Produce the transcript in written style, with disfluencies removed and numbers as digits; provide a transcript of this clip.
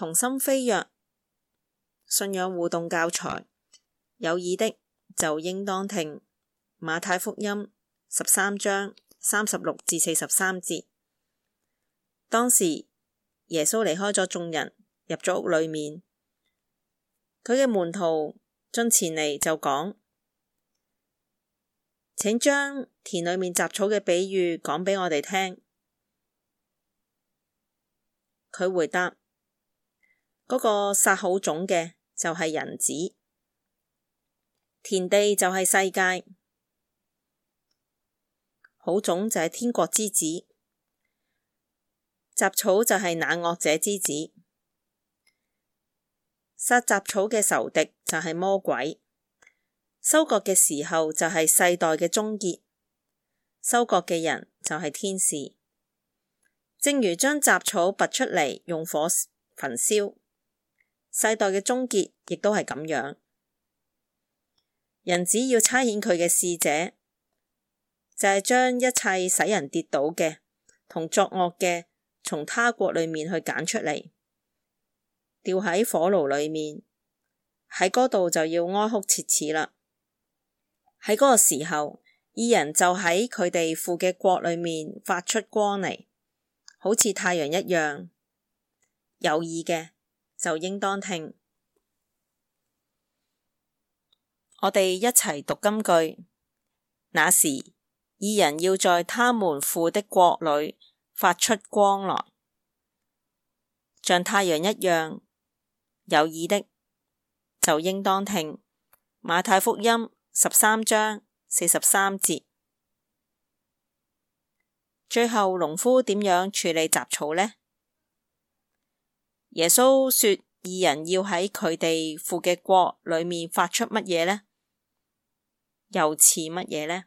同心飛躍，信仰互動教材，有耳的就應當聽。馬太福音13章36至43節。當時耶穌離開咗眾人，入咗屋裏面，佢嘅門徒進前嚟就講：請將田裏面雜草嘅比喻講俾我哋聽。佢回答：嗰個撒好種嘅就係人子，田地就係世界，好種就係天國之子，雜草就係那惡者之子。撒雜草嘅仇敵就係魔鬼，收割嘅時候就係世代嘅終結，收割嘅人就係天使。正如將雜草拔出嚟用火焚燒，世代嘅終結亦都係咁樣。人子要差遣佢嘅使者，就係將一切使人跌倒嘅同作惡嘅從他國裏面去揀出嚟，掉喺火爐裏面，喺嗰度就要哀哭切齒啦。喺嗰個時候，義人就喺佢哋父嘅國裏面發出光嚟，好似太陽一樣。有耳嘅就應當聽。我哋一齊讀金句。那時，義人要在他們父的國裏發出光來，像太陽一樣。有耳的就應當聽。馬太福音13章43節。最後，農夫點樣處理雜草呢？耶穌說義人要喺佢哋父嘅國裏面發出乜嘢呢？又似乜嘢呢？